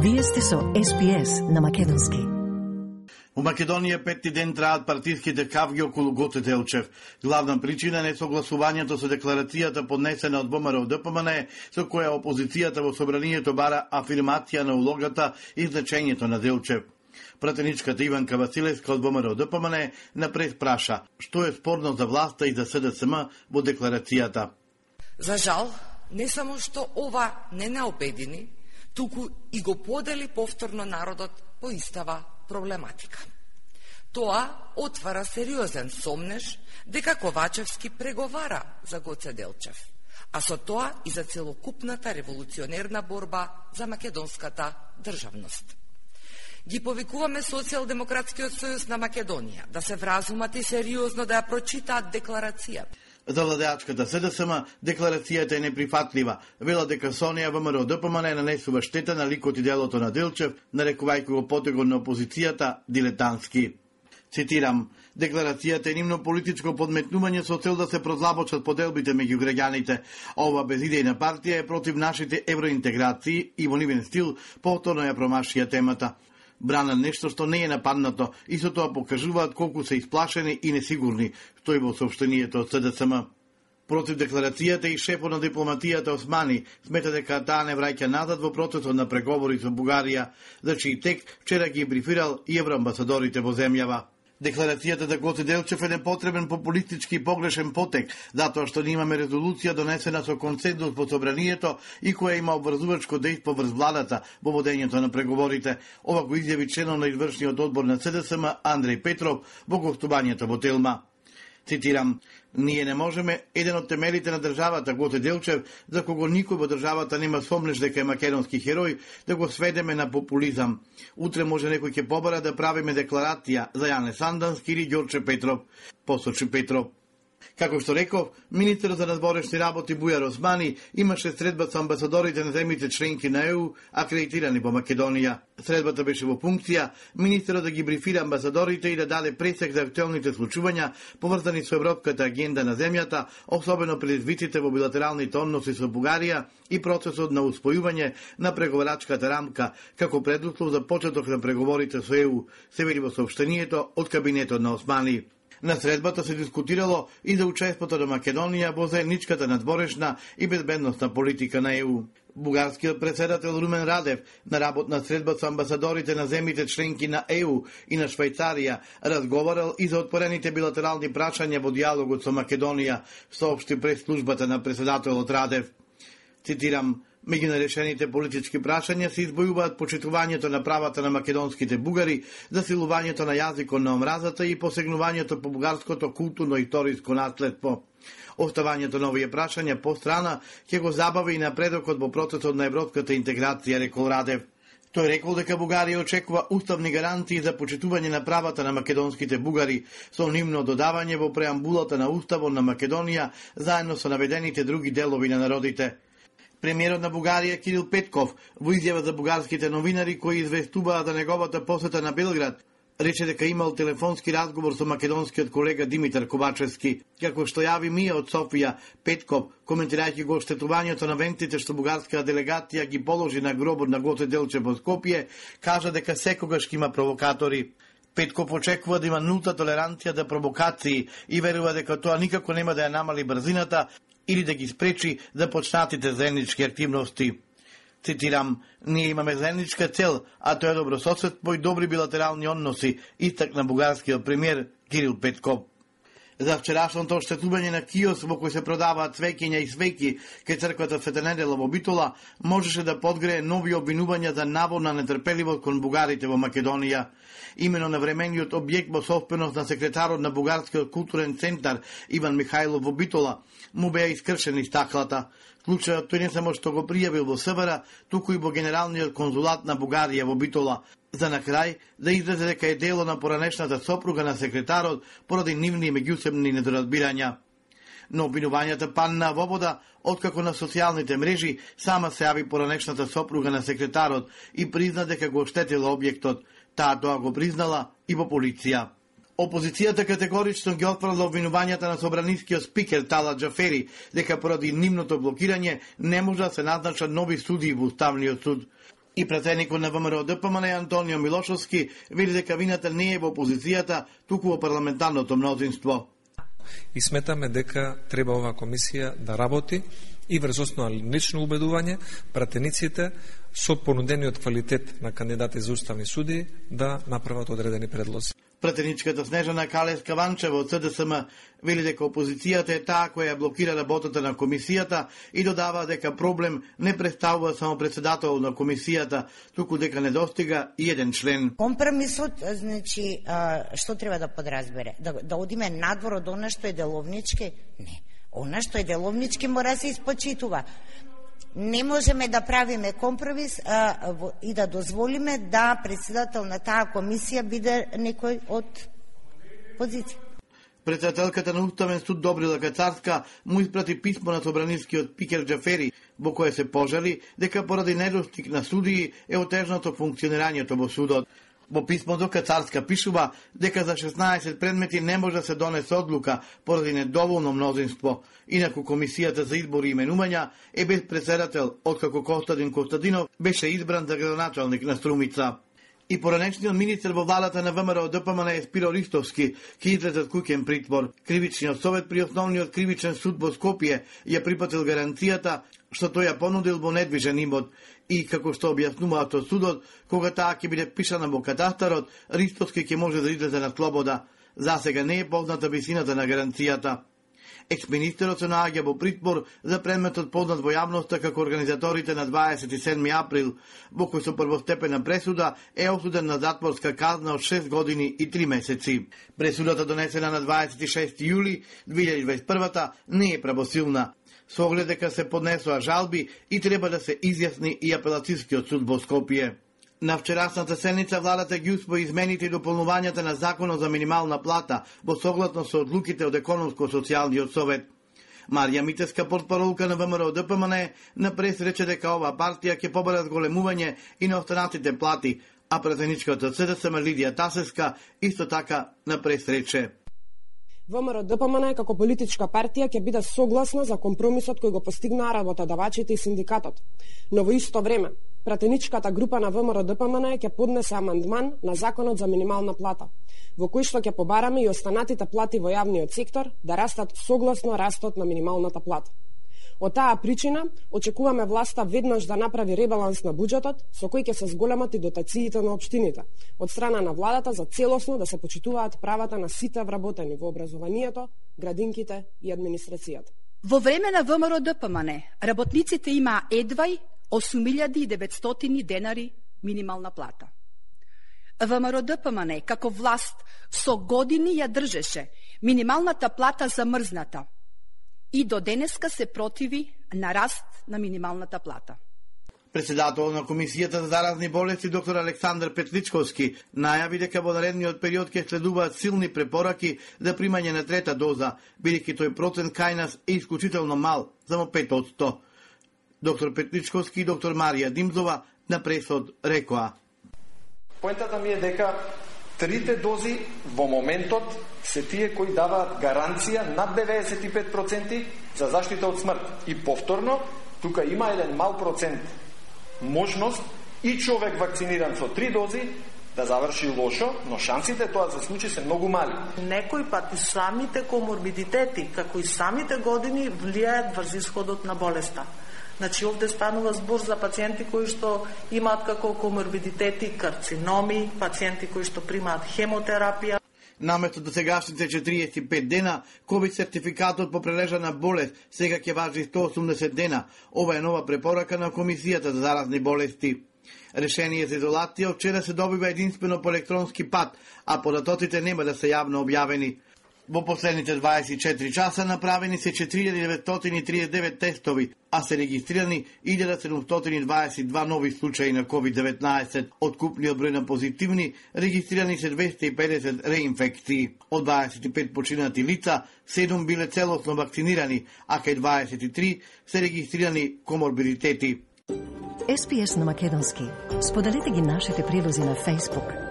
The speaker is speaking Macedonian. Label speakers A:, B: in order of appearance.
A: Вие сте со SPS на македонски.
B: У Македонија петти ден траат партиските кавги околу Гоце Делчев. Главна причина е несогласувањето со декларацијата поднесена од ВМРО-ДПМН, со која опозицијата во собранието бара афирмација на улогата и значењето на Делчев. Пратеничката Иванка Василевска од ВМРО-ДПМН напред праша што е спорно за власта и за СДСМ во декларацијата.
C: За жал, не само што ова не обедини, туку и го подели повторно народот по истава проблематика. Тоа отвара сериозен сомнеж дека Ковачевски преговара за Гоце Делчев, а со тоа и за целокупната револуционерна борба за македонската државност. Ги повикуваме Социјалдемократскиот сојуз на Македонија да се вразумат и сериозно да ја прочитаат декларацијата.
B: За владеачката СДСМ декларацијата е неприфатлива. Вела дека со неја ВМРО-ДПМН нанесува штета на ликот и делото на Делчев, нарекувајќи го потегот на опозицијата дилетантски. Цитирам: декларацијата е нивно политичко подметнување со цел да се прозлабочат поделбите меѓу граѓаните. Ова безидејна партија е против нашите евроинтеграции и во нивен стил повторно ја промашија темата. Брана нешто што не е нападнато и со тоа покажуваат колку се исплашени и несигурни, стои во соопштението од СДСМ. Против декларацијата и шефот на дипломатијата Османи смета дека таа не враќа назад во процесот на преговори со Бугарија, за чиј тек вчера ги брифирал и евроамбасадорите во земјава. Декларацијата за Гоце Делчев е непотребен популистички и погрешен потек, затоа што имаме резолуција донесена со консензус во собранието и која има обврзувачко дејство врз владата во водењето на преговорите. Ова го изјави членот на извршниот одбор на СДСМ Андреј Петров во гостувањето во Телма. Цитирам: ние не можеме еден од темелите на државата Гоце Делчев, за кого никој во државата нема сомнеш дека е македонски херој, да го сведеме на популизам. Утре може некој ќе побара да правиме декларација за Јане Сандански или Ѓорче Петров, посочи Петров. Како што реков, министерот за надворешни работи Бујар Османи имаше средба со амбасадорите на земјите членки на ЕУ акредитирани во Македонија. Средбата беше во функција министерот да ги брифира амбасадорите и да даде пресек за актуелните случувања поврзани со европската агенда на земјата, особено предизвиците во билатералните односи со Бугарија и процесот на успојување на преговарачката рамка како предуслов за почеток на преговорите со ЕУ, се вели во соопштението од кабинетот на Османи. На средбата се дискутирало и за учеството на Македонија во заедничката надворешна и безбедносна политика на ЕУ. Бугарскиот председател Румен Радев на работна средба со амбасадорите на земјите членки на ЕУ и на Швајцарија разговарал и за отворените билатерални прашања во диалогот со Македонија, соопшти пред службата на председателот Радев. Цитирам: меѓу нарешените политички прашања се избојуваат почитувањето на правата на македонските бугари, засилувањето на јазикот на омразата и посегнувањето по бугарското културно-историско наследство. Оставањето на овие прашања по страна ќе го забави и напредокот во процесот на европската интеграција, рекол Радев. Тој рекол дека Бугарија очекува уставни гарантии за почитување на правата на македонските бугари со нивно додавање во преамбулата на Уставот на Македонија заедно со наведените други делови на народите. Премиерот на Бугарија Кирил Петков во изјава за бугарските новинари кои известуваат за неговата посета на Белград рече дека имал телефонски разговор со македонскиот колега Димитар Ковачевски. Како што јави Мија од Софија, Петков, коментирајќи го оштетувањето на вентите што бугарската делегација ги положи на гробот на Гоце Делчев во Скопје, кажа дека секогаш има провокатори. Петков очекува да има нулта толеранција за провокации и верува дека тоа никако нема да ја намали брзината или да ги спречи започнатите заеднички активности. Цитирам: ние имаме заедничка цел, а тоа е добрососедство и добри билатерални односи, истакна бугарскиот премиер Кирил Петков. За вчерашното оштетување на киос во кој се продаваат цвеќиња и свеќи кај црквата Света Недела во Битола можеше да подгрее нови обвинувања за наводна нетрпеливост кон бугарите во Македонија. Имено на времениот објект во собственост на секретарот на Бугарскиот културен центар Иван Михајлов во Битола му беа искршени стаклата. Случајот тој не само што го пријавил во СВР, туку и во Генералниот конзулат на Бугарија во Битола, за на крај да излезе дека е дело на поранешната сопруга на секретарот поради нивни меѓусебни недоразбирања. Но обвинувањата паднаа во вода откако на социјалните мрежи сама се јави поранешната сопруга на секретарот и призна дека го оштетила објектот. Таа тоа го признала и во полиција. Опозицијата категорично ги отфрла обвинувањата на собранискиот спикер Талат Џафери дека поради нивното блокирање не може да се назначат нови судии во Уставниот суд. И пратеникот на ВМРО ДПМН Антонио Милошовски вели дека вината не е во опозицијата, туку во парламентарното мнозинство.
D: И сметаме дека треба оваа комисија да работи и врз основа на лично убедување пратениците со понудениот квалитет на кандидати за уставни суди да направат одредени предлози.
B: Пратеничката Снежана Калес-Каванчева од СДСМ вели дека опозицијата е таа која блокира работата на комисијата и додава дека проблем не представува само председател на комисијата, туку дека не достига и еден член.
E: Компромисот, значи, што треба да подразбере? Да одиме надвор од она што е деловнички? Не. Она што е деловнички мора да се испочитува. Не можеме да правиме компромис и да дозволиме да председател на таа комисија биде некој од позиција.
B: Председателката на Уставен суд Добрила Кацарска му испрати писмо на собранискиот Пикер Џафери, во кое се пожали дека поради недостиг на судии е отежнато функционирањето во судот. Во писмото Кацарска пишува дека за 16 предмети не може да се донесе одлука поради недоволно мнозинство. Инаку комисијата за избори и именувања е без председател, откако Костадин Костадинов беше избран за градоначалник на Струмица. И поранешниот министер во владата на ВМРО ДПМН е Спиро Ристовски ќе излезе од куќен притвор. Кривичниот совет при основниот кривичен суд во Скопје ја припатил гаранцијата што тој ја понудил во недвижен имот и како што објаснуваат од судот, кога таа ќе биде впишана во катастарот, Ристовски ќе може да излезе на слобода. Засега не е позната висината на гаранцијата. Екс-министерот се наоѓа во притвор за предметот познат во јавноста како организаторите на 27 април, во кој со првостепена пресуда е осуден на затворска казна од 6 години и 3 месеци. Пресудата донесена на 26 јули 2021 не е правосилна. Со оглед дека се поднесоа жалби и треба да се изјасни и апелацискиот суд во Скопје. На вчерашната седница владата ги усвои измените и дополнувањата на законот за минимална плата во согласно со одлуките од економско-социјалниот совет. Марија Митевска, портпаролка на ВМРО ДПМН, на прес рече дека оваа партија ќе побара зголемување и на останатите плати, а пратеничката СДСМ Лидија Тасевска исто така на прес рече:
F: ВМРО ДПМН како политичка партија ќе биде согласна за компромисот кој го постигнаа работодавачите и синдикатот. Но во исто време, пратеничката група на ВМРО ДПМН ќе поднесе амандман на законот за минимална плата, во кој што ќе побараме и останатите плати во јавниот сектор да растат согласно растот на минималната плата. Од таа причина, очекуваме власта веднаш да направи ребаланс на буџетот, со кој ќе се зголемат и дотациите на општините, од страна на владата за целосно да се почитуваат правата на сите вработени во образованието, градинките и администрацијата.
G: Во време на ВМРО ДПМН, работниците имаа едвај 8.900 денари минимална плата. ВМРО ДПМН како власт со години ја држеше минималната плата замрзната и до денеска се противи на раст на минималната плата.
B: Председател на Комисијата за заразни болести доктор Александар Петличковски најави дека во наредниот период ќе следуваат силни препораки за примање на трета доза, бидејќи тој процент кај нас е исклучително мал, само 5%. Доктор Петличковски и доктор Марија Димзова на пресот рекоа:
H: Поентата ми е дека трите дози во моментот се тие кои даваат гаранција над 95% за заштита од смрт. И повторно, тука има еден мал процент можност и човек вакциниран со 3 дози да заврши лошо, но шансите тоа да се случи се многу мали.
I: Некој пат и самите коморбидитети, како и самите години, влијаат врз исходот на болеста. Значи, овде станува збор за пациенти кои што имаат како коморбидитети карциноми, пациенти кои што примаат хемотерапија.
B: Наместо до сегашните 45 дена, ковид сертификатот по прележана болест сега ќе важи 180 дена. Ова е нова препорака на Комисијата за заразни болести. Решение за изолација вчера се добива единствено по електронски пат, а податоците нема да се јавно објавени. Во последните 24 часа направени се 4939 тестови, а се регистрирани 1722 нови случаи на COVID-19. Од купниот број на позитивни, регистрирани се 250 реинфекции. Од 25 починати лица, 7 биле целосно вакцинирани, а кај 23 се регистрирани коморбидитети.
A: SPS на македонски. Споделете ги нашите прилози на Facebook,